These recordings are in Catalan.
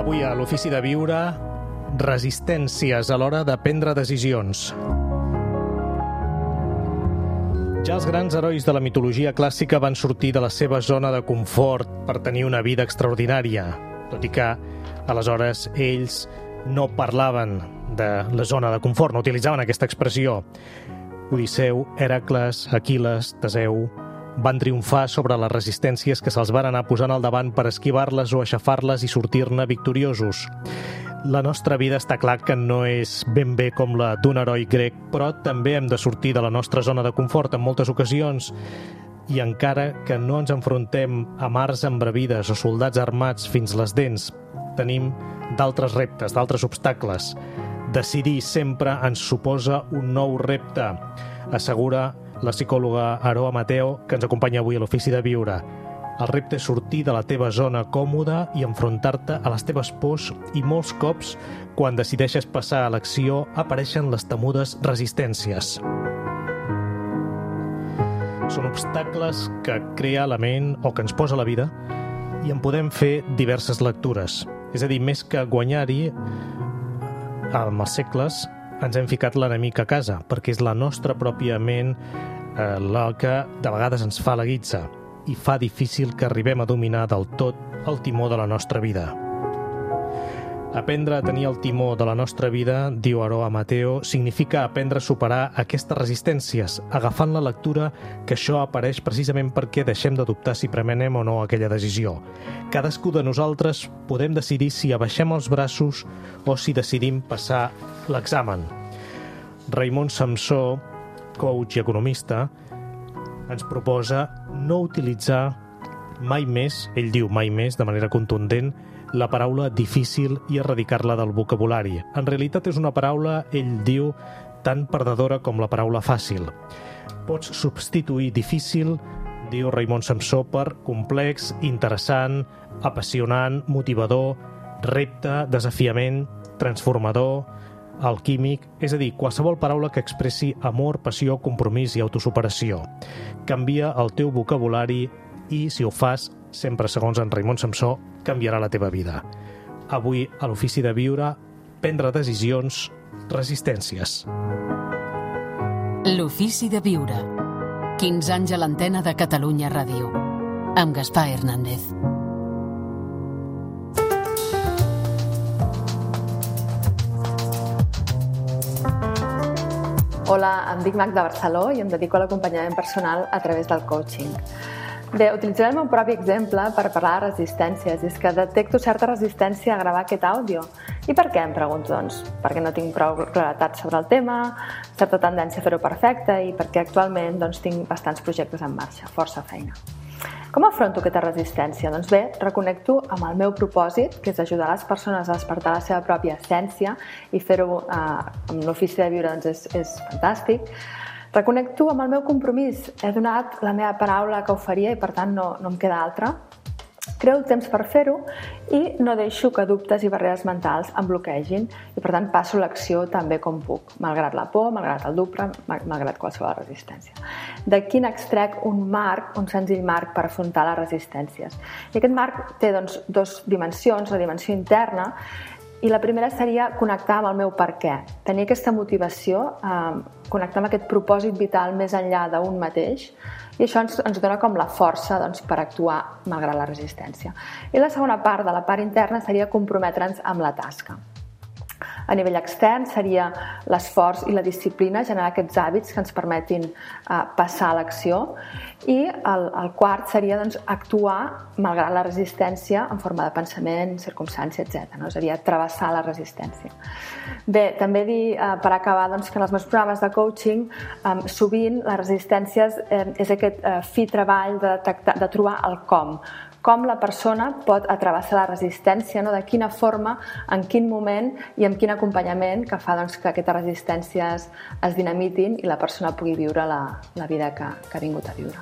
Avui a l'Ofici de Viure, resistències a l'hora de prendre decisions. Ja els grans herois de la mitologia clàssica van sortir de la seva zona de confort per tenir una vida extraordinària, tot i que, aleshores, ells no parlaven de la zona de confort, no utilitzaven aquesta expressió. Odisseu, Hèracles, Aquil·les, Teseu van triomfar sobre les resistències que se'ls van anar posant al davant per esquivar-les o aixafar-les i sortir-ne victoriosos. La nostra vida està clar que no és ben bé com la d'un heroi grec, però també hem de sortir de la nostra zona de confort en moltes ocasions. I encara que no ens enfrontem a mars embravides o soldats armats fins les dents, tenim d'altres reptes, d'altres obstacles. Decidir sempre ens suposa un nou repte, assegura la psicòloga Aroa Mateo, que ens acompanya avui a l'Ofici de Viure. El repte és sortir de la teva zona còmoda i enfrontar-te a les teves pors i molts cops, quan decideixes passar a l'acció, apareixen les temudes resistències. Són obstacles que crea la ment o que ens posa la vida i en podem fer diverses lectures. És a dir, més que guanyar-hi, amb els segles ens hem ficat l'enemic a casa, perquè és la nostra pròpia ment la que de vegades ens fa la guitza i fa difícil que arribem a dominar del tot el timó de la nostra vida. Aprendre a tenir el timó de la nostra vida, diu Aroa Mateo, significa aprendre a superar aquestes resistències, agafant la lectura que això apareix precisament perquè deixem de dubtar si premenem o no aquella decisió. Cadascú de nosaltres podem decidir si abaixem els braços o si decidim passar l'examen. Raimon Samsó, coach i economista, ens proposa no utilitzar mai més, ell diu mai més de manera contundent, la paraula difícil i erradicar-la del vocabulari. En realitat és una paraula, ell diu, tan perdedora com la paraula fàcil. Pots substituir difícil, diu Raimon Samsó, per complex, interessant, apassionant, motivador, repte, desafiament, transformador, alquímic, és a dir, qualsevol paraula que expressi amor, passió, compromís i autosuperació. Canvia el teu vocabulari i, si ho fas, sempre segons en Raimon Samsó, canviarà la teva vida. Avui, a l'Ofici de Viure, prendre decisions, resistències. L'Ofici de Viure. 15 anys a l'antena de Catalunya Ràdio. Amb Gaspar Hernández. Hola, em dic Magda Barceló i em dedico a l'acompanyament personal a través del coaching. Bé, utilitzaré el meu propi exemple per parlar de resistències. És que detecto certa resistència a gravar aquest àudio. I per què, em pregunto, doncs? Perquè no tinc prou claretat sobre el tema, certa tendència a fer-ho perfecte i perquè actualment tinc bastants projectes en marxa, força feina. Com afronto aquesta resistència? Doncs bé, reconnecto amb el meu propòsit, que és ajudar les persones a despertar la seva pròpia essència i fer-ho amb l'Ofici de Viure és fantàstic. Reconnecto amb el meu compromís. He donat la meva paraula que ho faria i per tant no em queda altra. Creo el temps per fer-ho i no deixo que dubtes i barreres mentals em bloquegin i per tant passo l'acció tan bé com puc, malgrat la por, malgrat el dubte, malgrat qualsevol resistència. D'aquí n'extrec un senzill marc per afrontar les resistències. I aquest marc té dues dimensions, la dimensió interna, i la primera seria connectar amb el meu per què. Tenir aquesta motivació, connectar amb aquest propòsit vital més enllà d'un mateix, i això ens dona com la força per actuar malgrat la resistència. I la segona part, de la part interna, seria comprometre'ns amb la tasca. A nivell extern seria l'esforç i la disciplina, generar aquests hàbits que ens permetin passar a l'acció. I el quart seria actuar malgrat la resistència en forma de pensament, circumstància, etc. És a dir, travessar la resistència. Bé, també dir, per acabar, que en els meus programes de coaching sovint les resistències és aquest fi treball de trobar el com la persona pot travessar la resistència, de quina forma, en quin moment i amb quin acompanyament que fa que aquestes resistències es dinamitin i la persona pugui viure la vida que ha vingut a viure.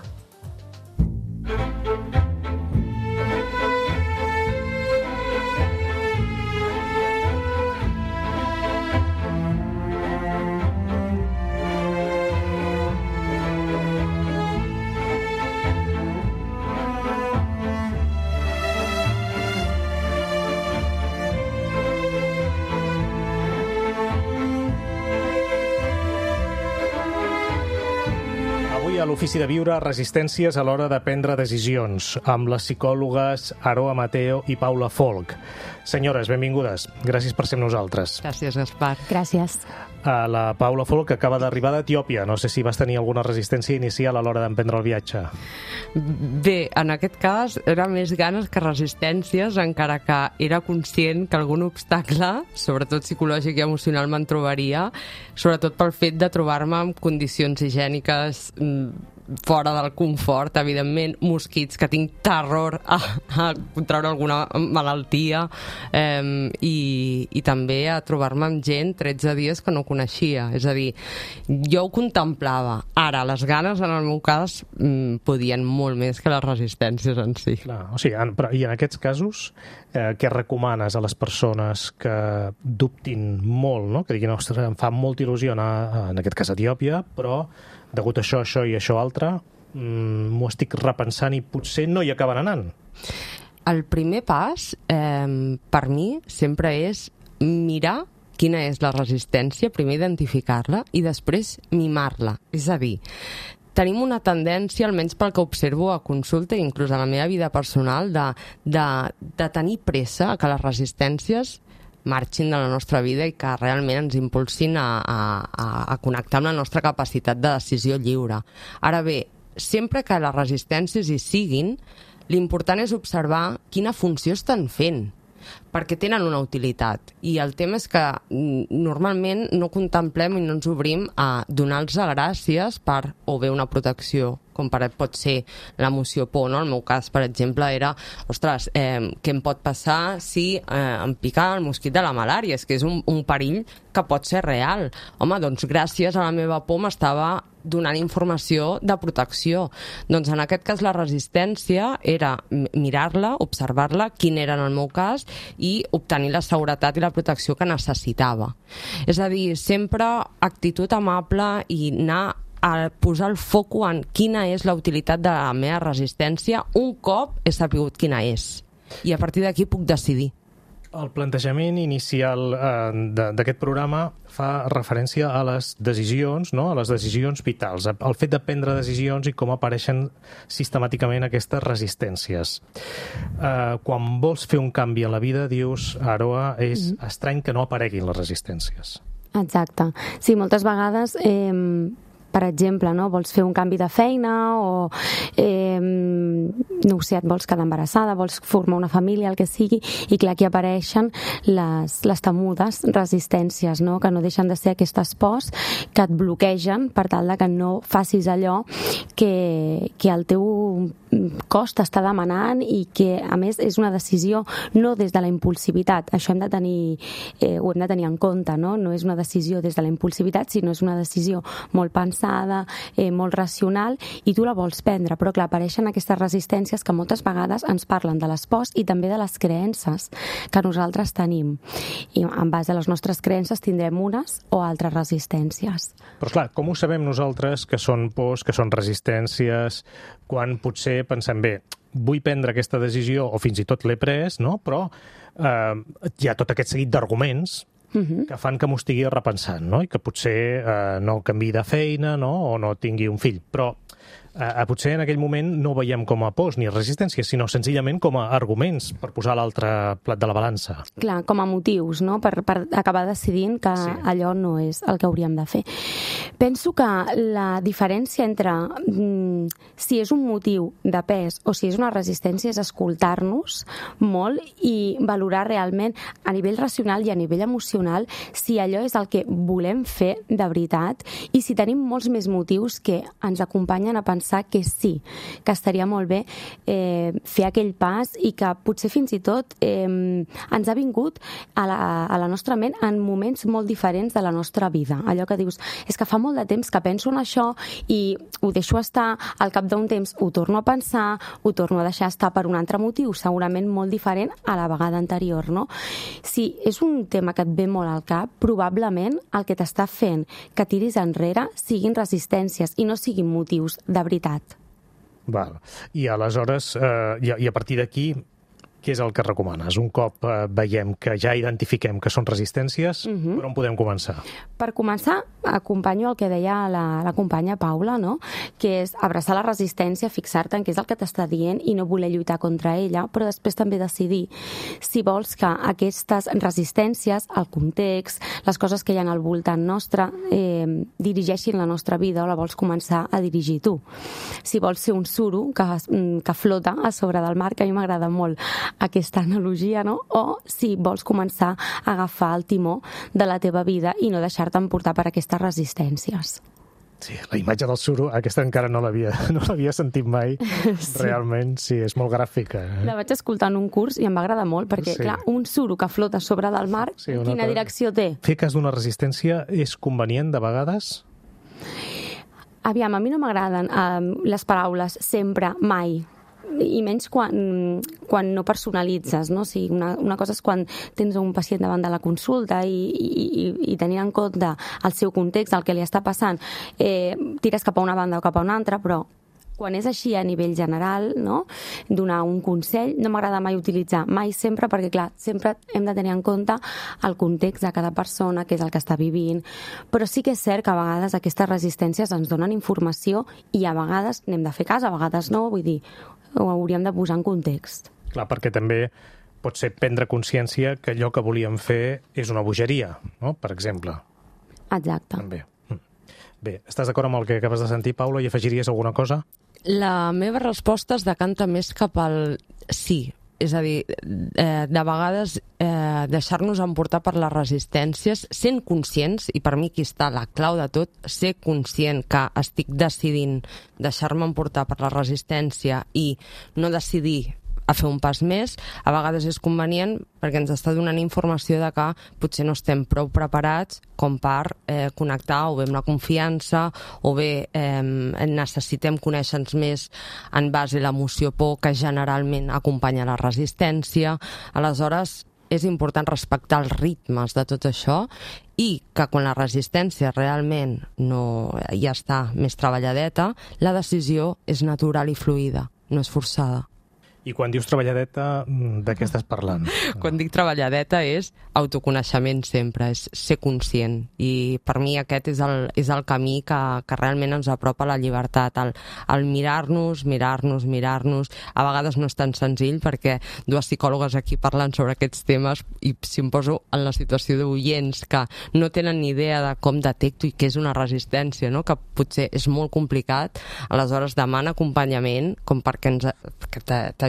Avui a l'Ofici de Viure, resistències a l'hora de prendre decisions, amb les psicòlogues Aroa Mateo i Paula Folch. Senyores, benvingudes. Gràcies per ser amb nosaltres. Gràcies, Gaspar. Gràcies. La Paula Folch, que acaba d'arribar d'Etiòpia. No sé si vas tenir alguna resistència inicial a l'hora d'emprendre el viatge. Bé, en aquest cas era més ganes que resistències, encara que era conscient que algun obstacle, sobretot psicològic i emocional, me'n trobaria, sobretot pel fet de trobar-me en condicions higièniques fora del confort, evidentment, mosquits, que tinc terror a contraure alguna malaltia, i també a trobar-me amb gent 13 dies que no coneixia. És a dir, jo ho contemplava. Ara, les ganes, en el meu cas, podien molt més que les resistències en si. Clar, o sigui, i en aquests casos, què recomanes a les persones que dubtin molt, no? Que diguin, ostres, em fa molta il·lusió anar, en aquest cas, a Etiòpia, però degut a això, això i això altre, m'ho estic repensant i potser no hi acaben anant. El primer pas, per mi, sempre és mirar quina és la resistència, primer identificar-la i després mimar-la. És a dir, tenim una tendència, almenys pel que observo a consulta i inclús a la meva vida personal, de tenir pressa a que les resistències marxin de la nostra vida i que realment ens impulsin a connectar amb la nostra capacitat de decisió lliure. Ara bé, sempre que les resistències hi siguin, l'important és observar quina funció estan fent, perquè tenen una utilitat. I el tema és que normalment no contemplem i no ens obrim a donar-los gràcies per o bé una protecció, com pot ser l'emoció por, no? El meu cas, per exemple, era, ostres, què em pot passar si em pica el mosquit de la malària? És que és un perill que pot ser real. Home, doncs gràcies a la meva por m'estava donant informació de protecció. Doncs en aquest cas la resistència era mirar-la, observar-la, quin era en el meu cas, i obtenir la seguretat i la protecció que necessitava. És a dir, sempre actitud amable i anar a posar el foco en quina és la utilitat de la meva resistència un cop he sabut quina és. I a partir d'aquí puc decidir. El plantejament inicial d'aquest programa fa referència a les decisions, no? A les decisions vitals, al fet de prendre decisions i com apareixen sistemàticament aquestes resistències. Quan vols fer un canvi a la vida, dius, Aroa, és estrany que no apareguin les resistències. Exacte. Sí, moltes vegades per exemple, no? Vols fer un canvi de feina o no ho sé, et vols quedar embarassada, vols formar una família, el que sigui, i clar, aquí apareixen les temudes resistències, no? Que no deixen de ser aquestes pors que et bloquegen per tal de que no facis allò que el teu cos t'està demanant i que, a més, és una decisió no des de la impulsivitat. Això ho hem de tenir en compte, no? No és una decisió des de la impulsivitat, sinó és una decisió molt pensada, molt racional, i tu la vols prendre, però clar, apareixen aquestes resistències que moltes vegades ens parlen de les pors i també de les creences que nosaltres tenim. I en base a les nostres creences tindrem unes o altres resistències. Però clar, com ho sabem nosaltres que són pors, que són resistències, quan potser pensem, bé, vull prendre aquesta decisió, o fins i tot l'he pres, no? Però hi ha tot aquest seguit d'arguments que fan que m'ho estigui repensant, no? I que potser no canviï de feina, no? O no tingui un fill. Però potser en aquell moment no ho veiem com a pors ni resistències, sinó senzillament com a arguments per posar l'altre plat de la balança. Clar, com a motius, no? Per acabar decidint que allò no és el que hauríem de fer. Penso que la diferència entre si és un motiu de pes o si és una resistència és escoltar-nos molt i valorar realment a nivell racional i a nivell emocional si allò és el que volem fer de veritat i si tenim molts més motius que ens acompanyen a pensar que sí, que estaria molt bé fer aquell pas i que potser fins i tot ens ha vingut a la nostra ment en moments molt diferents de la nostra vida. Allò que dius, és que fa molt de temps que penso en això i ho deixo estar, al cap d'un temps ho torno a pensar, ho torno a deixar estar per un altre motiu, segurament molt diferent a la vegada anterior, no? Si és un tema que et ve molt al cap, probablement el que t'està fent que tiris enrere siguin resistències i no siguin motius de veritat. Val. I aleshores, i a partir d'aquí, Què és el que recomanes? Un cop veiem que ja identifiquem que són resistències, per on podem començar? Per començar, acompanyo el que deia la companya Paula, no? Que és abraçar la resistència, fixar-te en què és el que t'està dient i no voler lluitar contra ella, però després també decidir si vols que aquestes resistències, el context, les coses que hi ha al voltant nostre, dirigeixin la nostra vida o la vols començar a dirigir tu. Si vols ser un suro que flota a sobre del mar, que a mi m'agrada molt aquesta analogia, no? O si vols començar a agafar el timó de la teva vida i no deixar-te emportar per aquestes resistències. Sí, la imatge del suro, aquesta encara no l'havia sentit mai. Sí. Realment, sí, és molt gràfica. La vaig escoltar en un curs i em va agradar molt, perquè, clar, un suro que flota sobre del mar, sí, quina direcció té? Fer cas d'una resistència és convenient de vegades? Aviam, a mi no m'agraden les paraules sempre, mai, i menys quan no personalitzes, no? O sigui, una cosa és quan tens un pacient davant de la consulta i tenint en compte el seu context, el que li està passant, tires cap a una banda o cap a una altra, però quan és així a nivell general, no? Donar un consell, no m'agrada mai utilitzar, mai sempre, perquè clar, sempre hem de tenir en compte el context de cada persona, què és el que està vivint, però sí que és cert que a vegades aquestes resistències ens donen informació i a vegades n'hem de fer cas, a vegades no, vull dir, ho hauríem de posar en context. Clar, perquè també pot ser prendre consciència que allò que volíem fer és una bogeria, no? Per exemple. Exacte. També. Bé, estàs d'acord amb el que acabes de sentir, Paula, i afegiries alguna cosa? La meva resposta es decanta més cap al sí. És a dir, de vegades deixar-nos emportar per les resistències, sent conscients, i per mi aquí està la clau de tot, ser conscient que estic decidint deixar-me emportar per la resistència i no decidir a fer un pas més, a vegades és convenient perquè ens està donant informació de que potser no estem prou preparats com per connectar o bé amb la confiança o bé necessitem conèixer-nos més en base a l'emoció por que generalment acompanya la resistència. Aleshores, és important respectar els ritmes de tot això i que quan la resistència realment ja està més treballadeta, la decisió és natural i fluida, no és forçada. I quan dius treballadeta, de què estàs parlant? Quan dic treballadeta és autoconeixement sempre, és ser conscient. I per mi aquest és el camí que realment ens apropa a la llibertat. El mirar-nos. A vegades no és tan senzill perquè dues psicòlogues aquí parlant sobre aquests temes i si em poso en la situació d'oients que no tenen ni idea de com detecto i què és una resistència, no? Que potser és molt complicat, aleshores demana acompanyament com perquè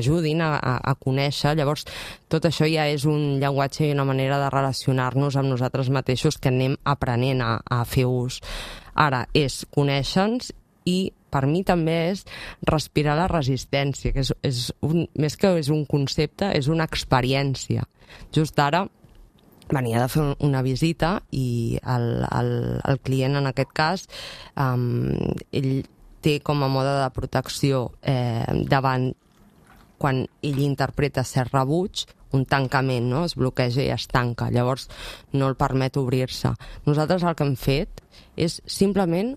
t'ajudin a conèixer. Llavors, tot això ja és un llenguatge i una manera de relacionar-nos amb nosaltres mateixos que anem aprenent a fer ús. Ara, és conèixer-nos i per mi també és respirar la resistència, que més que és un concepte, és una experiència. Just ara venia de fer una visita i el client, en aquest cas, ell té com a mode de protecció davant quan ell interpreta cert rebuig, un tancament, no? Es bloqueja i es tanca, llavors no el permet obrir-se. Nosaltres el que hem fet és simplement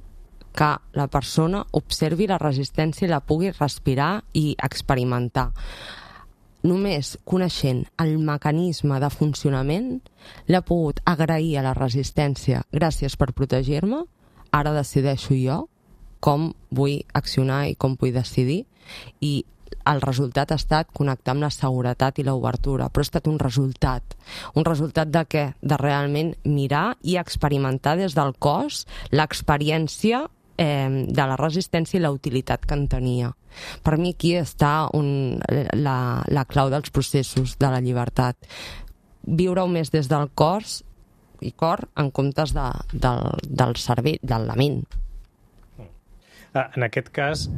que la persona observi la resistència i la pugui respirar i experimentar. Només coneixent el mecanisme de funcionament l'he pogut agrair a la resistència. Gràcies per protegir-me, ara decideixo jo com vull accionar i com vull decidir, i el resultat ha estat connectar amb la seguretat i l'obertura, però ha estat un resultat. Un resultat de què? De realment mirar i experimentar des del cos l'experiència de la resistència i la utilitat que en tenia. Per mi aquí està la clau dels processos de la llibertat. Viure-ho més des del cos i cor en comptes del cervell, de la ment. En aquest cas,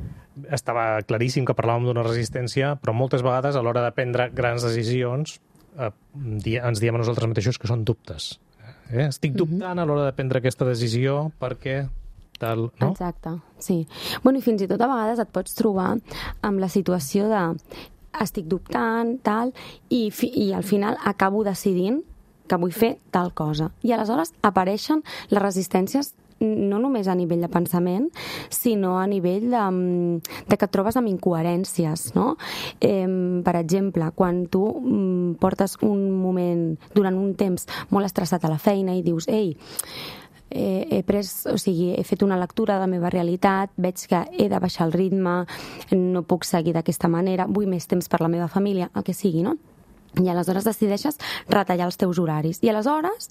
estava claríssim que parlàvem d'una resistència, però moltes vegades a l'hora de prendre grans decisions ens diem a nosaltres mateixos que són dubtes. Estic dubtant a l'hora de prendre aquesta decisió perquè tal, no? Exacte, sí. Bueno, i fins i tot a vegades et pots trobar amb la situació de estic dubtant, tal, i al final acabo decidint que vull fer tal cosa. I aleshores apareixen les resistències no només a nivell de pensament, sinó a nivell de que et trobes amb incoherències, no? Per exemple, quan tu portes un moment, durant un temps, molt estressat a la feina i dius, ei, he fet una lectura de la meva realitat, veig que he de baixar el ritme, no puc seguir d'aquesta manera, vull més temps per la meva família, el que sigui, no? I aleshores decideixes retallar els teus horaris. I aleshores,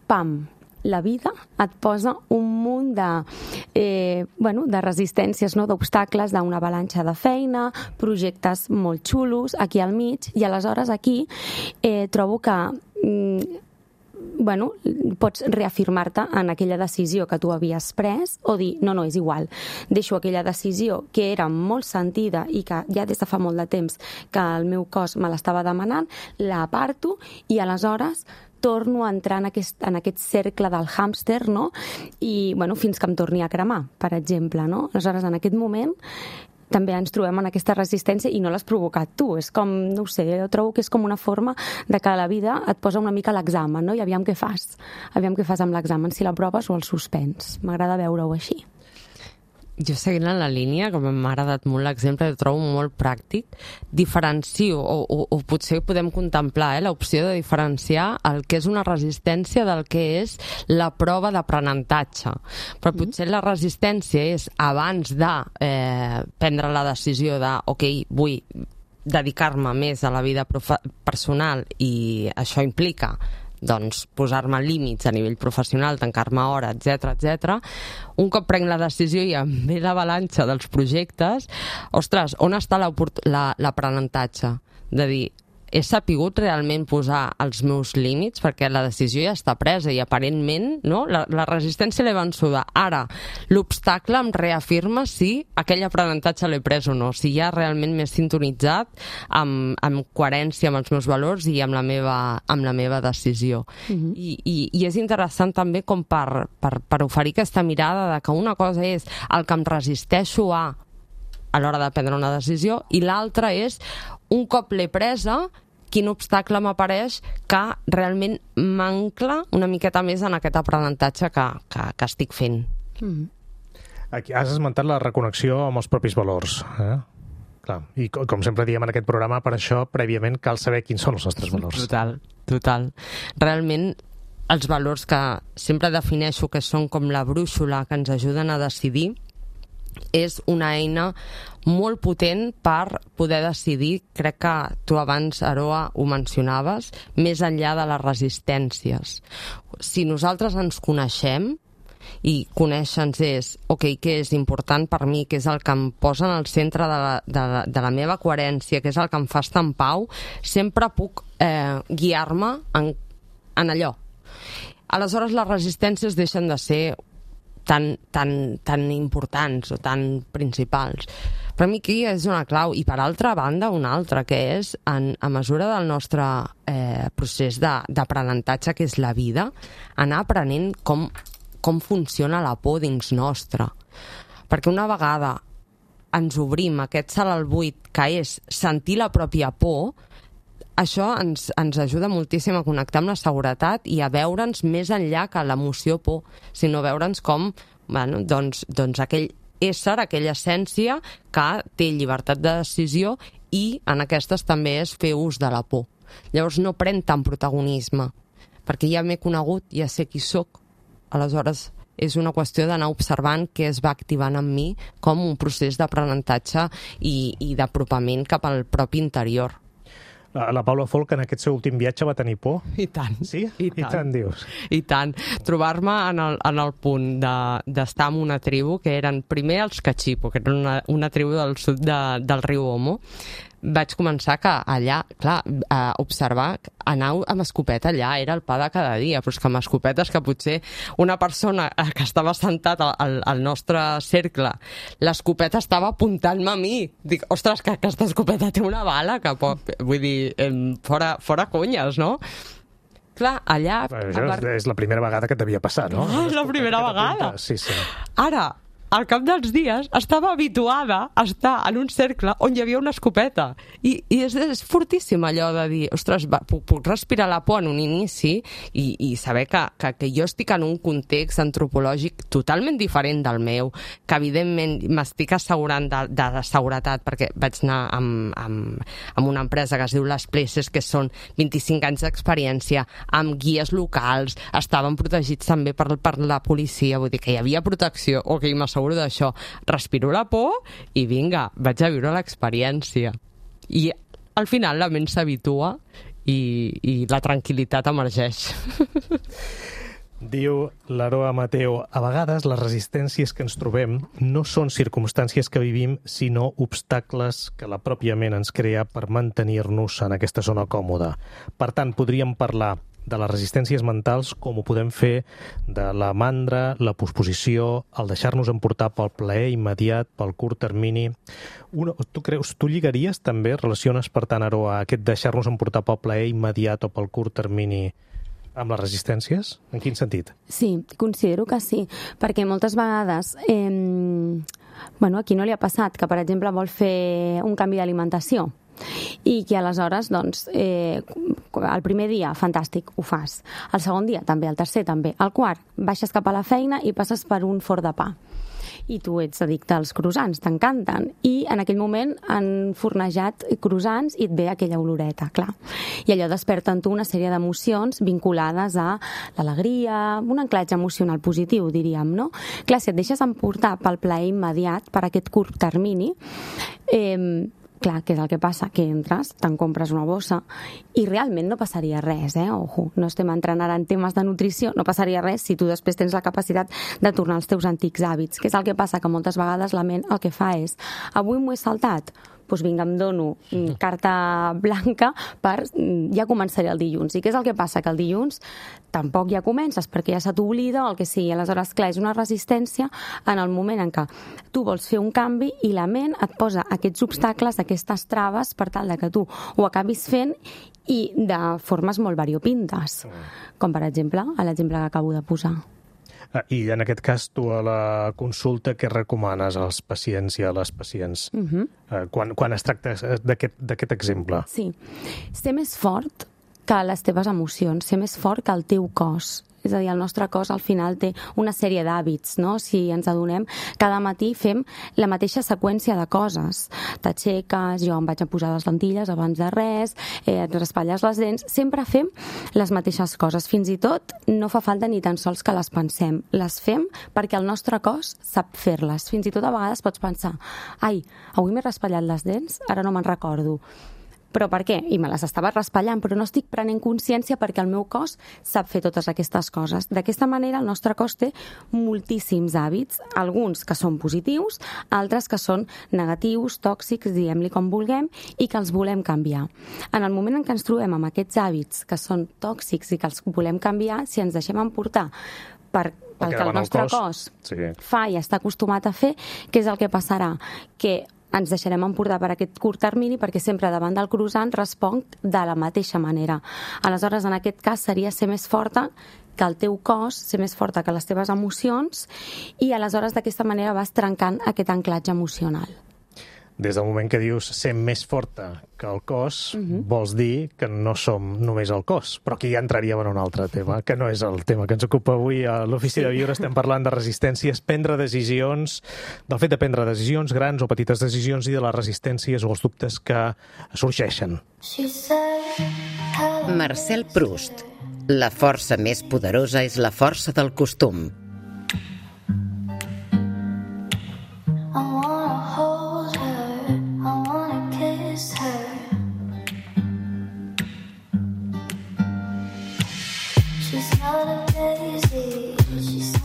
pam, la vida et posa un munt de resistències, no? D'obstacles, d'una avalanxa de feina, projectes molt xulos aquí al mig, i aleshores aquí trobo que pots reafirmar-te en aquella decisió que tu havies pres o dir, no, és igual, deixo aquella decisió que era molt sentida i que ja des de fa molt de temps que el meu cos me l'estava demanant, la aparto i aleshores torno a entrar en aquest cercle del hàmster, no? I, fins que em torni a cremar, per exemple, no? Aleshores, en aquest moment també ens trobem en aquesta resistència i no l'has provocat tu. És com, no ho sé, jo trobo que és com una forma de que la vida et posa una mica a l'examen, no? I aviam què fas. Aviam què fas amb l'examen, si l'aproves o el suspens. M'agrada veure-ho així. Jo seguint en la línia, que m'ha agradat molt l'exemple, ho trobo molt pràctic, diferencio, o potser podem contemplar l'opció de diferenciar el que és una resistència del que és la prova d'aprenentatge. Però potser la resistència és abans de prendre la decisió de, ok, vull dedicar-me més a la vida personal i això implica doncs posar-me límits a nivell professional, tancar-me hora, etc. Un cop prenc la decisió i em ve l'avalanxa dels projectes, ostres, on està l'aprenentatge? De dir, he sapigut realment posar els meus límits perquè la decisió ja està presa i aparentment no? La resistència l'he vençuda. Ara, l'obstacle em reafirma si aquell aprenentatge l'he pres o no, si ja realment m'he sintonitzat amb coherència amb els meus valors i amb la meva decisió. I és interessant també com per oferir aquesta mirada de que una cosa és el que em resisteixo a l'hora de prendre una decisió i l'altra és un cop l'he presa, quin obstacle m'apareix que realment m'ancla una miqueta més en aquest aprenentatge que estic fent. Aquí has esmentat la reconnexió amb els propis valors. Clar. I com sempre diem en aquest programa, per això prèviament cal saber quins són els nostres valors. Total. Realment els valors que sempre defineixo que són com la brúixola que ens ajuden a decidir és una eina molt potent per poder decidir, crec que tu abans, Aroa, ho mencionaves, més enllà de les resistències. Si nosaltres ens coneixem, i conèixer-nos és, ok, què és important per mi, què és el que em posa en el centre de la meva coherència, què és el que em fa estar en pau, sempre puc guiar-me en allò. Aleshores, les resistències deixen de ser tan importants o tan principals. Per mi aquí és una clau i per altra banda una altra, que és a mesura del nostre procés d'aprenentatge, que és la vida, anar aprenent com funciona la por dins nostre. Perquè una vegada ens obrim aquest salt al buit, que és sentir la pròpia por, això ens ajuda moltíssim a connectar amb la seguretat i a veure'ns més enllà que l'emoció por, sinó veure'ns com doncs aquell ésser, aquella essència que té llibertat de decisió i en aquestes també és fer ús de la por. Llavors no pren tant protagonisme, perquè ja m'he conegut, ja sé qui sóc. Aleshores és una qüestió d'anar observant què es va activant en mi com un procés d'aprenentatge i d'apropament cap al propi interior. La Paula Folch en aquest seu últim viatge va tenir por? I tant. Sí? I tant dius? I tant. Trobar-me en el punt d'estar en una tribu que eren primer els Cachipo, que eren una tribu del sud del riu Omo. Vaig començar que allà, clar, a observar, anar amb escopeta allà era el pa de cada dia, però és que amb escopetes que potser una persona que estava sentat al nostre cercle, l'escopeta estava apuntant-me a mi. Dic, ostres, que aquesta escopeta té una bala, que vull dir, fora conyes, no? Clar, allà... Això és la primera vegada que t'havia passat, no? És la primera vegada. Sí. Ara, al cap dels dies estava habituada a estar en un cercle on hi havia una escopeta. I és fortíssim allò de dir, ostres, puc respirar la por en un inici i saber que jo estic en un context antropològic totalment diferent del meu, que evidentment m'estic assegurant de seguretat, perquè vaig anar amb una empresa que es diu Les Places, que són 25 anys d'experiència, amb guies locals, estaven protegits també per la policia, vull dir que hi havia protecció, ok, m'asseguro d'això, respiro la por i vinga, vaig a viure l'experiència. I al final la ment s'habitua i la tranquil·litat emergeix. Diu l'Aroa Mateo, a vegades les resistències que ens trobem no són circumstàncies que vivim, sinó obstacles que la pròpia ment ens crea per mantenir-nos en aquesta zona còmoda. Per tant, podríem parlar de les resistències mentals com ho podem fer de la mandra, la posposició, el deixar-nos emportar pel plaer immediat, pel curt termini. Tu lligaries també, relaciones per tant, Aroa, aquest deixar-nos emportar pel plaer immediat o pel curt termini amb les resistències? En quin sentit? Sí, considero que sí, perquè moltes vegades a qui no li ha passat que, per exemple, vol fer un canvi d'alimentació i que aleshores, doncs, el primer dia, fantàstic, ho fas. El segon dia, també. El tercer, també. El quart, baixes cap a la feina i passes per un forn de pa. I tu ets addicte als croissants, t'encanten. I en aquell moment han fornejat croissants i et ve aquella oloreta, clar. I allò desperta en tu una sèrie d'emocions vinculades a l'alegria, un anclatge emocional positiu, diríem, no? Clar, si et deixes emportar pel plaer immediat, per aquest curt termini, clar, què és el que passa? Que entres, te'n compres una bossa i realment no passaria res, Ojo, no estem entrant ara en temes de nutrició, no passaria res si tu després tens la capacitat de tornar als teus antics hàbits. Què és el que passa? Que moltes vegades la ment el que fa és, avui m'ho he saltat, doncs vinga, em dono carta blanca per ja començaré el dilluns. I què és el que passa? Que el dilluns tampoc ja comences perquè ja se t'oblida o el que sigui. Aleshores, clar, és una resistència en el moment en què tu vols fer un canvi i la ment et posa aquests obstacles, aquestes traves per tal de que tu ho acabis fent i de formes molt variopintes. Com, per exemple, l'exemple que acabo de posar. I en aquest cas, tu a la consulta, què recomanes als pacients i a les pacients quan es tracta d'aquest exemple? Sí, ser més fort que les teves emocions, ser més fort que el teu cos. És a dir, el nostre cos al final té una sèrie d'hàbits, no? Si ens adonem, cada matí fem la mateixa seqüència de coses. T'aixeques, jo em vaig a posar les lentilles abans de res, et raspalles les dents, sempre fem les mateixes coses. Fins i tot no fa falta ni tan sols que les pensem. Les fem perquè el nostre cos sap fer-les. Fins i tot a vegades pots pensar, ai, avui m'he raspallat les dents, ara no me'n recordo. Però per què? I me les estava raspallant, però no estic prenent consciència perquè el meu cos sap fer totes aquestes coses. D'aquesta manera, el nostre cos té moltíssims hàbits, alguns que són positius, altres que són negatius, tòxics, diguem-li com vulguem, i que els volem canviar. En el moment en què ens trobem amb aquests hàbits que són tòxics i que els volem canviar, si ens deixem emportar pel que el nostre cos fa i està acostumat a fer, què és el que passarà? Que ens deixarem emportar per aquest curt termini perquè sempre davant del croissant responc de la mateixa manera. Aleshores, en aquest cas, seria ser més forta que el teu cos, ser més forta que les teves emocions i aleshores d'aquesta manera vas trencant aquest anclatge emocional. Des del moment que dius ser més forta que el cos, vols dir que no som només el cos, però aquí ja entraríem en un altre tema, que no és el tema que ens ocupa avui a l'Ofici de Viure. Estem parlant de resistències, prendre decisions, del fet de prendre decisions, grans o petites decisions, i de les resistències o els dubtes que sorgeixen. Marcel Proust. La força més poderosa és la força del costum.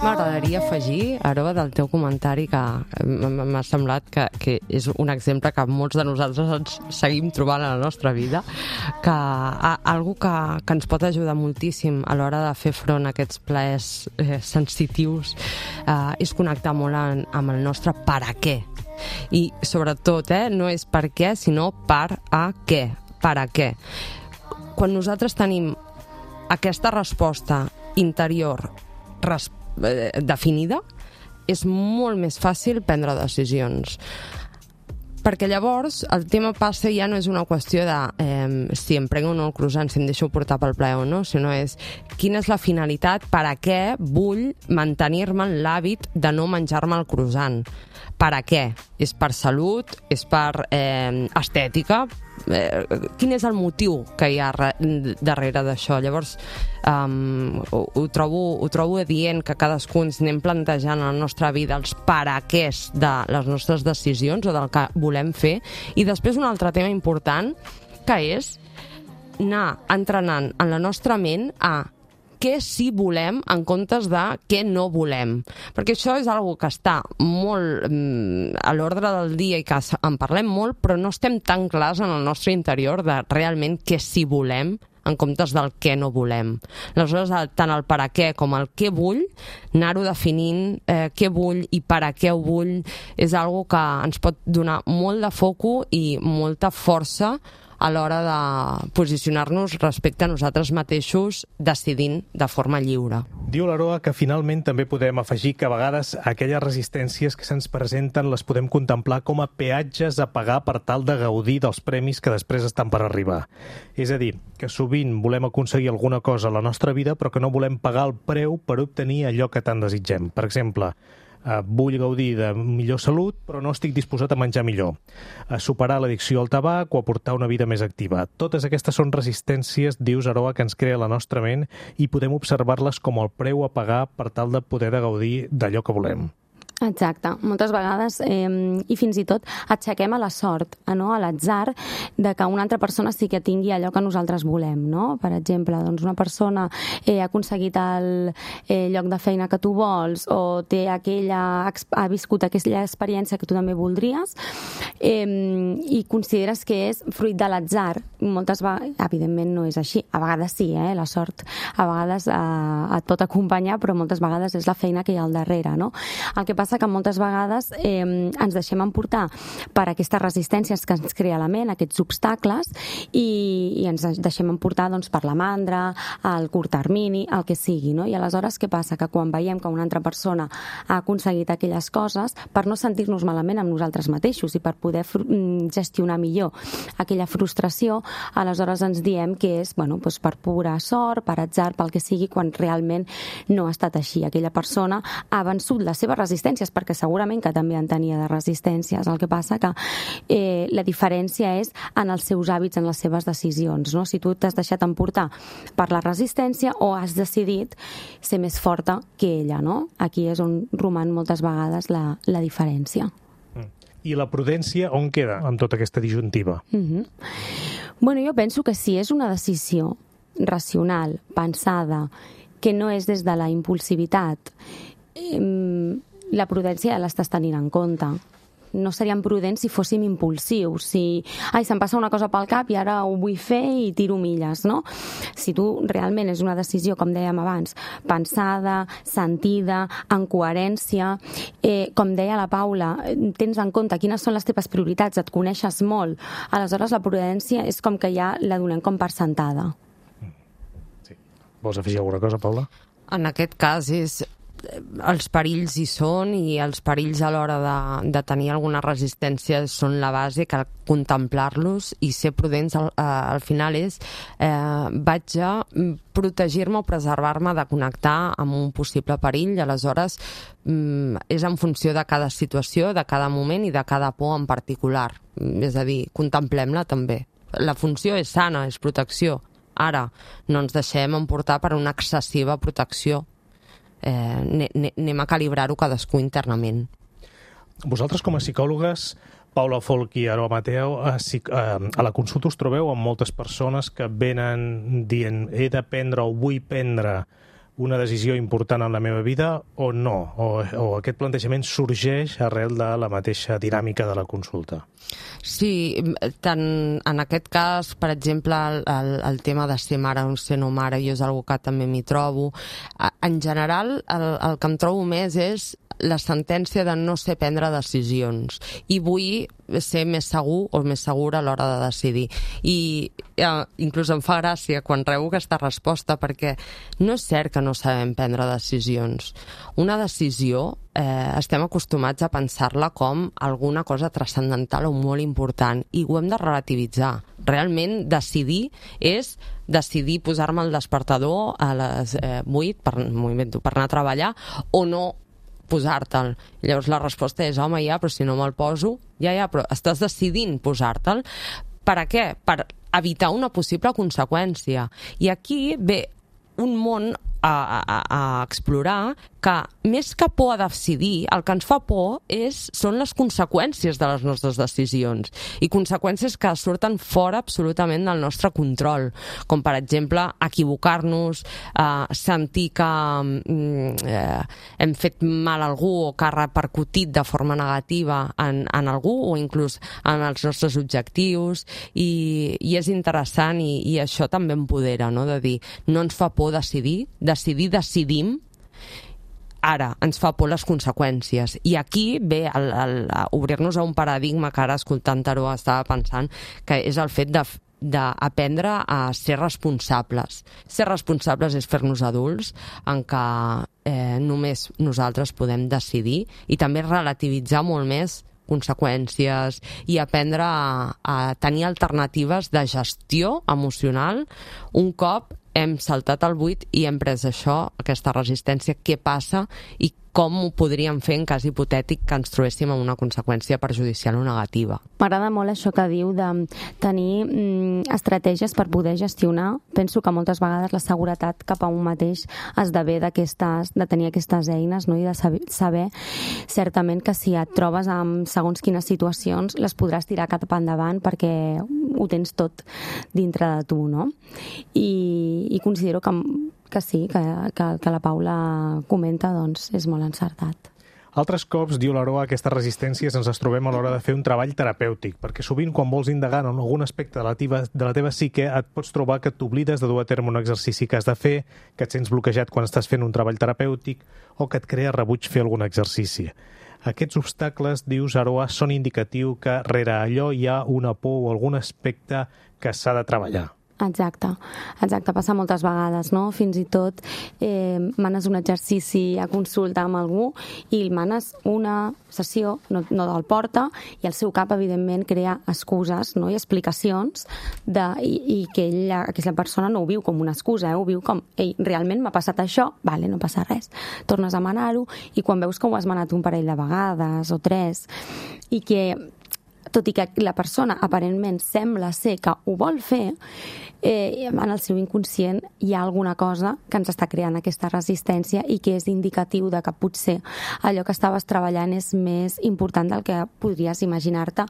M'agradaria afegir, Aroa, del teu comentari, que m'ha semblat que és un exemple que molts de nosaltres ens seguim trobant a la nostra vida, que algo que ens pot ajudar moltíssim a l'hora de fer front a aquests plaers sensitius és connectar molt amb el nostre per a què. I sobretot, no és per què, sinó per a què. Per a què. Quan nosaltres tenim aquesta resposta interior definida, és molt més fàcil prendre decisions. Perquè llavors el tema passa ja no és una qüestió de si em prenc o no el croissant, si em deixo portar pel plaer o no, sinó és quina és la finalitat, per a què vull mantenir-me en l'hàbit de no menjar-me el croissant. Per a què? És per salut? És per estètica? Quin és el motiu que hi ha darrere d'això? Llavors ho trobo adient que cadascú ens anem plantejant a la nostra vida els paraquès de les nostres decisions o del que volem fer. I després un altre tema important, que és anar entrenant en la nostra ment a què sí volem en comptes de què no volem. Perquè això és una que està molt a l'ordre del dia i que en parlem molt, però no estem tan clars en el nostre interior de realment què sí volem en comptes del què no volem. Aleshores, tant el per a què com el què vull, anar-ho definint, què vull i per a què ho vull, és una que ens pot donar molt de foco i molta força a l'hora de posicionar-nos respecte a nosaltres mateixos decidint de forma lliure. Diu l'Aroa que finalment també podem afegir que a vegades aquelles resistències que se'ns presenten les podem contemplar com a peatges a pagar per tal de gaudir dels premis que després estan per arribar. És a dir, que sovint volem aconseguir alguna cosa a la nostra vida però que no volem pagar el preu per obtenir allò que tant desitgem. Per exemple, vull gaudir de millor salut, però no estic disposat a menjar millor. Superar l'addicció al tabac o aportar una vida més activa. Totes aquestes són resistències, dius, Aroa, que ens crea la nostra ment i podem observar-les com el preu a pagar per tal de poder gaudir d'allò que volem. Exacte. Moltes vegades, i fins i tot, aixequem a la sort, no? A l'atzar, de que una altra persona sí que tingui allò que nosaltres volem, no? Per exemple, doncs una persona ha aconseguit el lloc de feina que tu vols o ha viscut aquella experiència que tu també voldries i consideres que és fruit de l'atzar. Moltes vegades, evidentment no és així. A vegades sí, la sort a vegades et pot acompanyar, però moltes vegades és la feina que hi ha al darrere, no? El que passa que moltes vegades ens deixem emportar per aquestes resistències que ens crea la ment, aquests obstacles, i ens deixem emportar doncs, per la mandra, el curt termini, el que sigui, no? I aleshores què passa? Que quan veiem que una altra persona ha aconseguit aquelles coses, per no sentir-nos malament amb nosaltres mateixos i per poder gestionar millor aquella frustració, aleshores ens diem que és doncs per pura sort, per atzar, pel que sigui, quan realment no ha estat així. Aquella persona ha vençut les seves resistències, perquè segurament que també en tenia de resistències. El que passa que la diferència és en els seus hàbits, en les seves decisions, no? Si tu t'has deixat emportar per la resistència o has decidit ser més forta que ella, no? Aquí és on roman moltes vegades la diferència. I la prudència on queda amb tota aquesta disjuntiva? Bueno, jo penso que si és una decisió racional, pensada, que no és des de la impulsivitat, la prudència ja l'estàs tenint en compte. No seríem prudents si fóssim impulsius, si se'm passa una cosa pel cap i ara ho vull fer i tiro milles, no? Si tu realment és una decisió, com dèiem abans, pensada, sentida, en coherència, com deia la Paula, tens en compte quines són les teves prioritats, et coneixes molt, aleshores la prudència és com que ja la donem com per sentada. Sí. Vols afegir alguna cosa, Paula? En aquest cas els perills hi són i els perills a l'hora de tenir alguna resistència són la base, cal contemplar-los i ser prudents al final vaig a protegir-me o preservar-me de connectar amb un possible perill, i aleshores és en funció de cada situació, de cada moment i de cada por en particular, és a dir, contemplem-la també. La funció és sana, és protecció. Ara, no ens deixem emportar per una excessiva protecció. Anem a calibrar-ho cadascú internament. Vosaltres com a psicòlogues, Paula Folch i Aroa Mateo, a la consulta us trobeu amb moltes persones que venen dient he de prendre o vull prendre una decisió important en la meva vida o no? O aquest plantejament sorgeix arrel de la mateixa dinàmica de la consulta? Sí, tant en aquest cas, per exemple, el tema de ser mare o ser no mare, jo és una que també m'hi trobo. En general, el que em trobo més és la sentència de no sé prendre decisions i vull ser més segur o més segura a l'hora de decidir. I inclús em fa gràcia quan rebo aquesta resposta, perquè no és cert que no sabem prendre decisions. Una decisió estem acostumats a pensar-la com alguna cosa transcendental o molt important, i ho hem de relativitzar. Realment decidir és decidir posar-me el despertador a les 8 per anar a treballar o no posar-te'l. Llavors la resposta és, home, ja, però si no me'l poso, ja, però estàs decidint posar-te'l. Per a què? Per evitar una possible conseqüència. I aquí ve un món a explorar que, més que por a decidir, el que ens fa por són les conseqüències de les nostres decisions, i conseqüències que surten fora absolutament del nostre control, com per exemple equivocar-nos, sentir que hem fet mal a algú o que ha repercutit de forma negativa en algú o inclús en els nostres objectius, i és interessant, i això també empodera, no? De dir, no ens fa por decidim, ara ens fa por les conseqüències. I aquí ve obrir-nos a un paradigma que ara, escoltant-ho, estava pensant, que és el fet d'aprendre a ser responsables. Ser responsables és fer-nos adults, en què només nosaltres podem decidir, i també relativitzar molt més conseqüències i aprendre a tenir alternatives de gestió emocional un cop hem saltat el buit i hem pres això, aquesta resistència. Què passa i com ho podríem fer en cas hipotètic que ens trobéssim amb una conseqüència perjudicial o negativa. M'agrada molt això que diu de tenir estratègies per poder gestionar. Penso que moltes vegades la seguretat cap a un mateix esdevé de tenir aquestes eines, no? I de saber certament que si et trobes amb segons quines situacions les podràs tirar cap endavant perquè ho tens tot dintre de tu, no? I considero que sí, que la Paula comenta, doncs és molt encertat. Altres cops, diu l'Aroa, aquestes resistències ens les trobem a l'hora de fer un treball terapèutic, perquè sovint quan vols indagar en algun aspecte de la teva psique et pots trobar que t'oblides de dur a terme un exercici que has de fer, que et sents bloquejat quan estàs fent un treball terapèutic o que et crea rebuig fer algun exercici. Aquests obstacles, dius, Aroa, són indicatiu que rere allò hi ha una por o algun aspecte que s'ha de treballar. Exacte, passa moltes vegades, no? Fins i tot manes un exercici a consulta amb algú i manes una sessió, no del porta, i el seu cap, evidentment, crea excuses, no? I explicacions i que aquesta persona no ho viu com una excusa, ho viu com, ei, realment m'ha passat això, vale, no passa res. Tornes a manar-ho i quan veus que ho has manat un parell de vegades o 3 i que tot i que la persona aparentment sembla ser que ho vol fer, en el seu inconscient hi ha alguna cosa que ens està creant aquesta resistència i que és indicatiu de que potser allò que estaves treballant és més important del que podries imaginar-te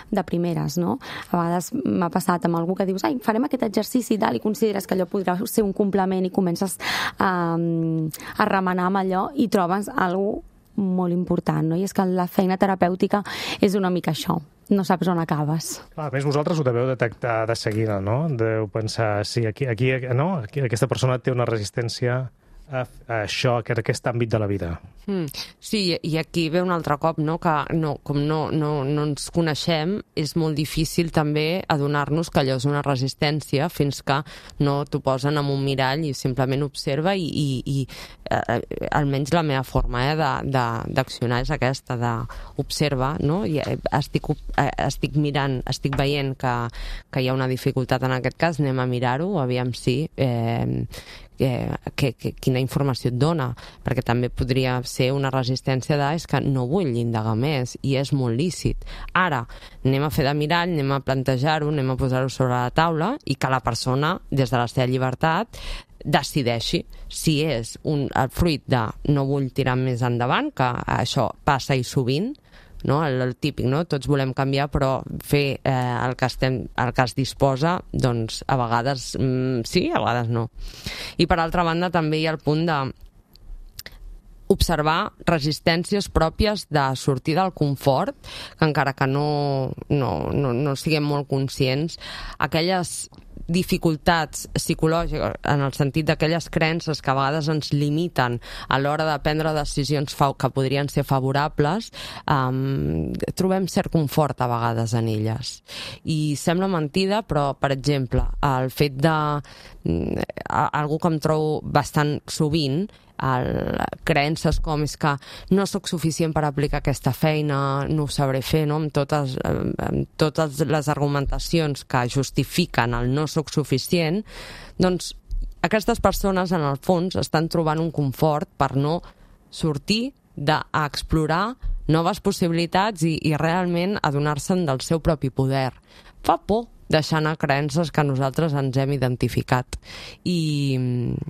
de primeres, no? A vegades m'ha passat amb algú que dius, farem aquest exercici i tal, i consideres que allò podrà ser un complement i comences a remenar amb allò i trobes alguna molt important, no? I és que la feina terapèutica és una mica això. No saps on acabes. A més, vosaltres ho deveu detectar de seguida, no? Deu pensar, sí, aquí aquesta persona té una resistència a això, a aquest àmbit de la vida. Sí, i aquí ve un altre cop, no? Que com no ens coneixem, és molt difícil també adonar-nos que allò és una resistència fins que no t'ho posen en un mirall i simplement observa i almenys la meva forma d'accionar és aquesta, d'observar, no? I estic mirant, estic veient que hi ha una dificultat en aquest cas, anem a mirar-ho, aviam si quina informació et dona, perquè també podria ser una resistència és que no vull indagar més, i és molt lícit. Ara, anem a fer de mirall, anem a plantejar-ho, anem a posar-ho sobre la taula i que la persona, des de la seva llibertat, decideixi si és el fruit de no vull tirar més endavant, que això passa i sovint, no? El típic, no? Tots volem canviar, però fer el que es disposa, doncs a vegades sí, a vegades no. I per altra banda també hi ha el punt de observar resistències pròpies de sortir del confort, que encara que no siguem molt conscients, aquelles dificultats psicològiques, en el sentit d'aquelles creences que a vegades ens limiten a l'hora de prendre decisions que podrien ser favorables, trobem cert confort a vegades en elles. I sembla mentida, però, per exemple, el fet de... algú que em trobo bastant sovint, creences com és que no sóc suficient per aplicar aquesta feina, no ho sabré fer, no? Amb totes les argumentacions que justifiquen el no sóc suficient, doncs aquestes persones en el fons estan trobant un confort per no sortir a explorar noves possibilitats i realment adonar-se'n del seu propi poder. Fa por deixar anar creences que nosaltres ens hem identificat. I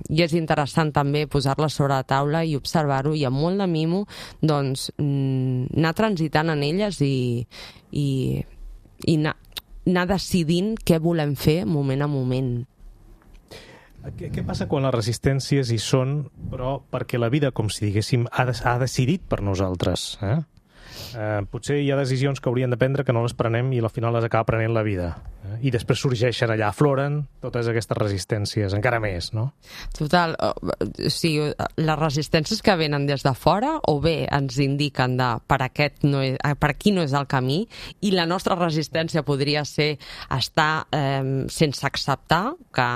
és interessant també posar-les sobre la taula i observar-ho, i amb molt de mimo doncs, anar transitant en elles i anar decidint què volem fer moment a moment. Què passa quan les resistències hi són, però perquè la vida, com si diguéssim, ha decidit per nosaltres? Potser hi ha decisions que hauríem de prendre que no les prenem i al final les acaba prenent la vida. I després sorgeixen allà, afloren totes aquestes resistències, encara més, no? Total, sí, les resistències que venen des de fora o bé ens indiquen per aquí no és el camí, i la nostra resistència podria ser estar sense acceptar que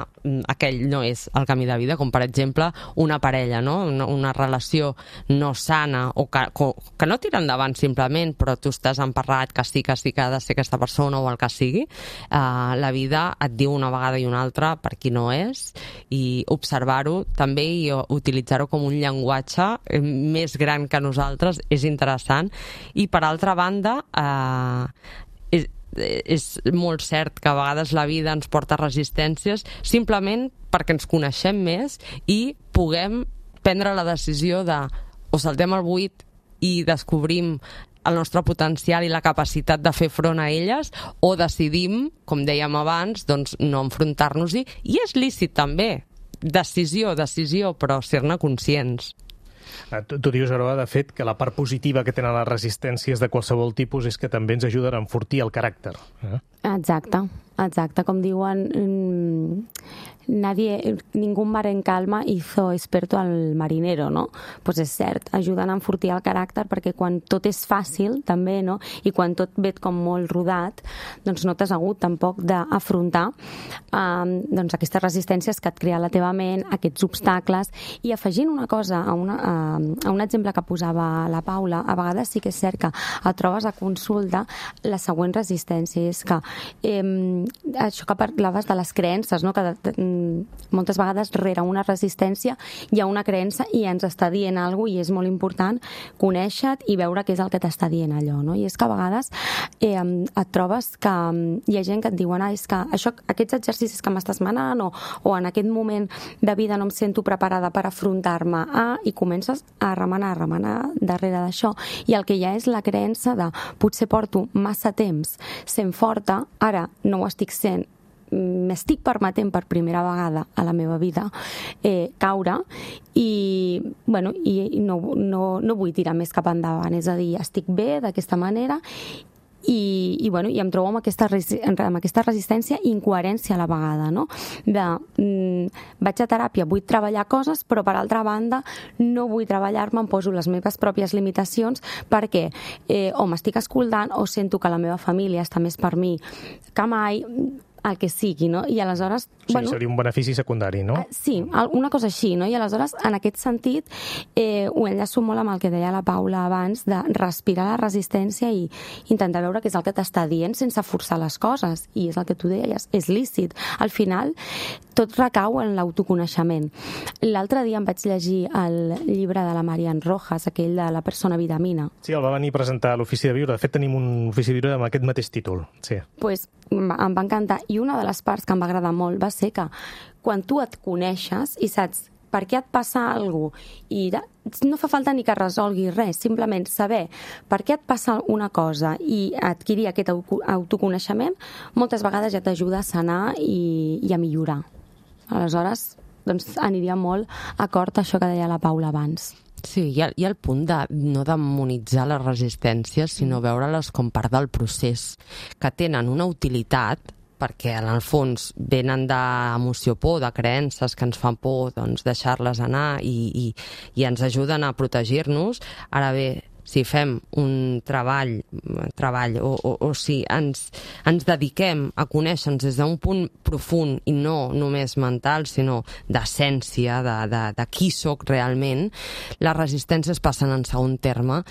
aquell no és el camí de vida, com per exemple una parella, no? Una relació no sana o que no tira endavant simplement, però tu estàs emparrat que sí que ha de ser aquesta persona o el que sigui. La vida et diu una vegada i una altra per qui no és, i observar-ho també i utilitzar-ho com un llenguatge més gran que nosaltres és interessant. I per altra banda, és molt cert que a vegades la vida ens porta resistències simplement perquè ens coneixem més i puguem prendre la decisió de o saltem el buit i descobrim el nostre potencial i la capacitat de fer front a elles, o decidim, com dèiem abans, doncs no enfrontar-nos-hi, i és lícit també. Decisió, però ser-ne conscients. Tu dius, Aroa, de fet, que la part positiva que tenen les resistències de qualsevol tipus és que també ens ajuden a enfortir el caràcter. Exacte. Com diuen, ningún mar en calma hizo experto al marinero, no? Pues és cert, ajuden a enfortir el caràcter, perquè quan tot és fàcil, també, no? I quan tot ve com molt rodat, doncs no t'has hagut tampoc d'afrontar doncs aquestes resistències que et crea la teva ment, aquests obstacles. I afegint una cosa a un exemple que posava la Paula, a vegades sí que és cert que et trobes a consulta la següent resistència, és que això que parlaves de les creences, no? Que moltes vegades rere una resistència hi ha una creença i ens està dient alguna cosa, i és molt important conèixer-te i veure què és el que t'està dient allò, no? I és que a vegades et trobes que hi ha gent que et diuen és que aquests exercicis que m'estàs manant o en aquest moment de vida no em sento preparada per afrontar-me i comences a remenar darrere d'això, i el que hi ha és la creença de potser porto massa temps sent forta, ara no ho estic sent, m'estic permetent per primera vegada a la meva vida caure i no vull tirar més cap endavant, és a dir, estic bé d'aquesta manera i em trobo amb aquesta resistència i incoherència a la vegada, no? Vaig a teràpia, vull treballar coses, però per altra banda no vull treballar-me, em poso les meves pròpies limitacions perquè o m'estic escoltant o sento que la meva família està més per mi que mai, el que sigui, no? I aleshores... Sí, seria un benefici secundari, no? Sí, una cosa així, no? I aleshores, en aquest sentit, ho enllaço molt amb el que deia la Paula abans, de respirar la resistència i intentar veure què és el que t'està dient sense forçar les coses. I és el que tu deies, és lícit. Al final, tot recau en l'autoconeixement. L'altre dia em vaig llegir el llibre de la Marian Rojas, aquell de La persona vitamina. Sí, el va venir a presentar a l'Ofici de Viure. De fet, tenim un Ofici de Viure amb aquest mateix títol. Sí. Pues em va encantar. I una de les parts que em va agradar molt va ser que quan tu et coneixes i saps per què et passa alguna cosa, i no fa falta ni que resolgui res, simplement saber per què et passa una cosa i adquirir aquest autoconeixement, moltes vegades ja t'ajuda a sanar i a millorar. Aleshores, doncs aniria molt acord a això que deia la Paula abans. Sí, hi ha el punt de no demonitzar les resistències, sinó veure-les com part del procés, que tenen una utilitat, perquè en el fons venen d'emoció por, de creences que ens fan por, doncs deixar-les anar i ens ajuden a protegir-nos. Ara bé, si fem un treball o si ens dediquem a conèixer-nos des d'un punt profund i no només mental, sinó d'essència, de qui sóc realment, les resistències passen en segon terme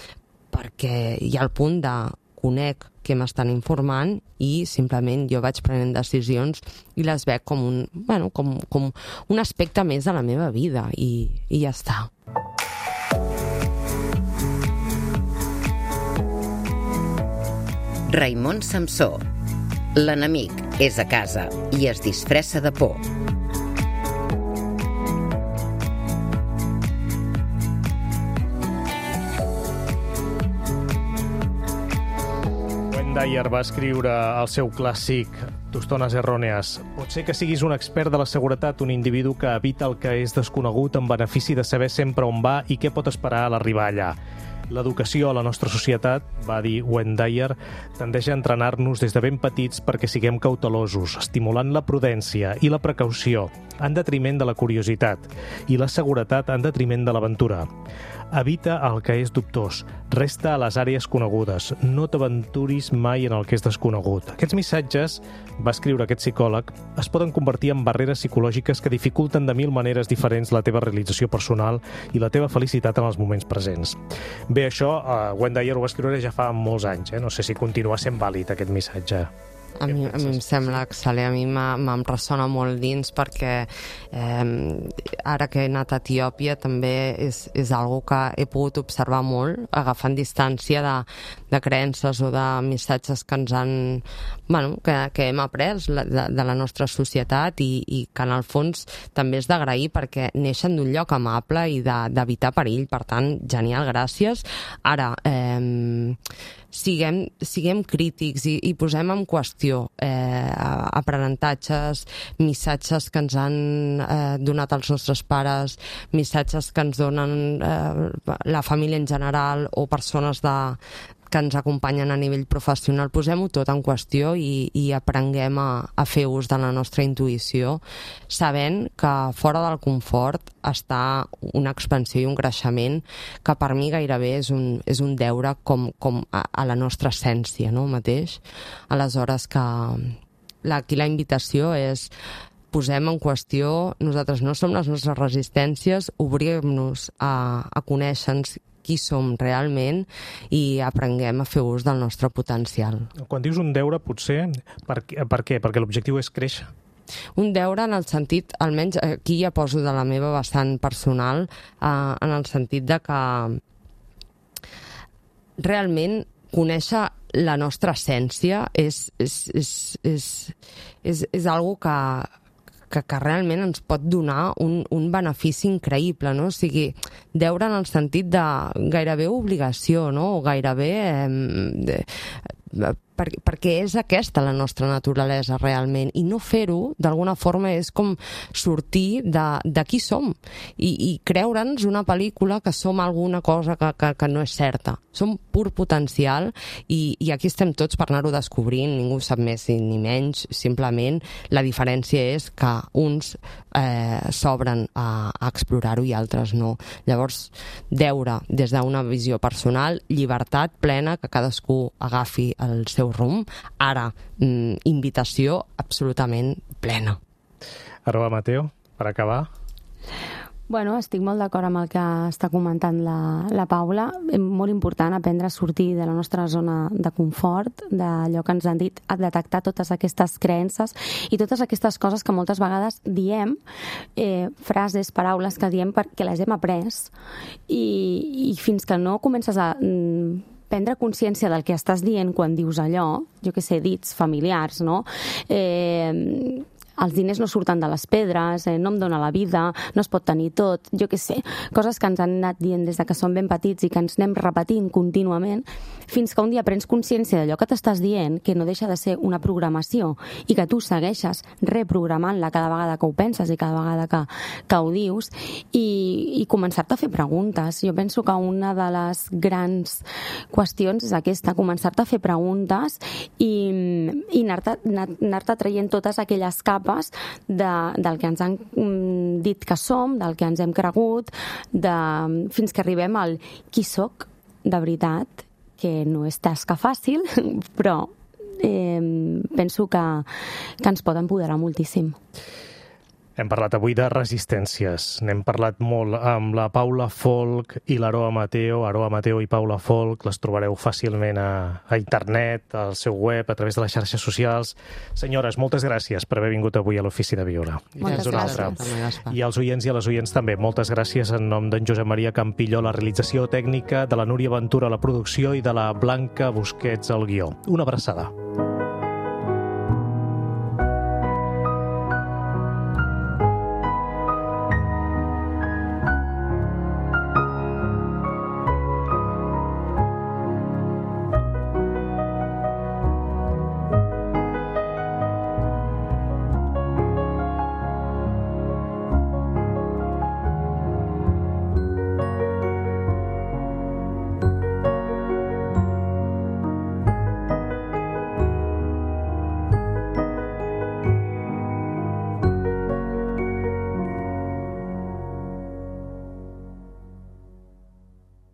perquè hi ha el punt de conec què m'estan informant i simplement jo vaig prenent decisions i les veig com un aspecte més de la meva vida i ja està. Raimon Samsó. L'enemic és a casa i es disfressa de por. Wayne Dyer va escriure el seu clàssic Tostones errònees. Pot ser que siguis un expert de la seguretat, un individu que evita el que és desconegut en benefici de saber sempre on va i què pot esperar a l'arribar allà. L'educació a la nostra societat, va dir Wayne Dyer, tendeix a entrenar-nos des de ben petits perquè siguem cautelosos, estimulant la prudència i la precaució en detriment de la curiositat i la seguretat en detriment de l'aventura. Evita el que és dubtós, resta a les àrees conegudes, no t'aventuris mai en el que és desconegut. Aquests missatges, va escriure aquest psicòleg, es poden convertir en barreres psicològiques que dificulten de 1000 maneres diferents la teva realització personal i la teva felicitat en els moments presents. Bé, això, Wayne Dyer ho va escriure ja fa molts anys, no sé si continua sent vàlid aquest missatge. A mi em sembla excel·lent, a mi me'n ressona molt dins perquè ara que he anat a Etiòpia també és algo que he pogut observar molt, agafant distància de creences o de missatges que ens han, que hem après de la nostra societat i que en el fons també és d'agrair perquè neixen d'un lloc amable i d'evitar perill, per tant, genial, gràcies. Ara, siguem crítics i posem en qüestió aprenentatges, missatges que ens han donat els nostres pares, missatges que ens donen la família en general o persones que ens acompanyen a nivell professional. Posem-ho tot en qüestió i aprenguem a fer ús de la nostra intuïció, sabent que fora del confort està una expansió i un creixement que per mi gairebé és un deure com a la nostra essència, no, mateix. Aleshores que aquí la invitació és posem en qüestió, nosaltres no som les nostres resistències, obrim-nos a conèixer-nos qui som realment i aprenguem a fer ús del nostre potencial. Quan dius un deure, potser, per què? Perquè l'objectiu és créixer. Un deure en el sentit, almenys aquí ja poso de la meva vessant personal, en el sentit de que realment conèixer la nostra essència és algo que realment ens pot donar un benefici increïble, no? O sigui, deure en el sentit de gairebé obligació, no? O gairebé perquè és aquesta la nostra naturalesa realment, i no fer-ho d'alguna forma és com sortir de qui som i creure'ns una pel·lícula que som alguna cosa que no és certa. Som pur potencial i aquí estem tots per anar-ho descobrint, ningú sap més ni menys, simplement la diferència és que uns s'obren a explorar-ho i altres no. Llavors, deure des d'una visió personal, llibertat plena, que cadascú agafi el seu rumb. Ara, invitació absolutament plena. Arroba Mateo, per acabar. Bueno, estic molt d'acord amb el que està comentant la Paula. És molt important aprendre a sortir de la nostra zona de confort, d'allò que ens han dit, a detectar totes aquestes creences i totes aquestes coses que moltes vegades diem, frases, paraules que diem perquè les hem après i fins que no comences a prendre consciència del que estàs dient quan dius allò, jo què sé, dits familiars, no? els diners no surten de les pedres, no em dóna la vida, no es pot tenir tot, jo què sé, coses que ens han anat dient des de que som ben petits i que ens anem repetint contínuament, fins que un dia prens consciència d'allò que t'estàs dient, que no deixa de ser una programació i que tu segueixes reprogramant-la cada vegada que ho penses i cada vegada que ho dius, i començar-te a fer preguntes. Jo penso que una de les grans qüestions és aquesta, començar-te a fer preguntes i anar-te traient totes aquelles capes del que ens han dit que som, del que ens hem cregut, fins que arribem al qui soc de veritat, que no és tasca fàcil, però penso que ens pot empoderar moltíssim. Hem parlat avui de resistències. N'hem parlat molt amb la Paula Folch i l'Aroa Mateo. Aroa Mateo i Paula Folch les trobareu fàcilment a internet, al seu web, a través de les xarxes socials. Senyores, moltes gràcies per haver vingut avui a l'Ofici de Viure. Moltes gràcies. I als oients i a les oients també, moltes gràcies en nom d'en Josep Maria Campillo, la realització tècnica, de la Núria Ventura, la producció, i de la Blanca Busquets, al guió. Una abraçada.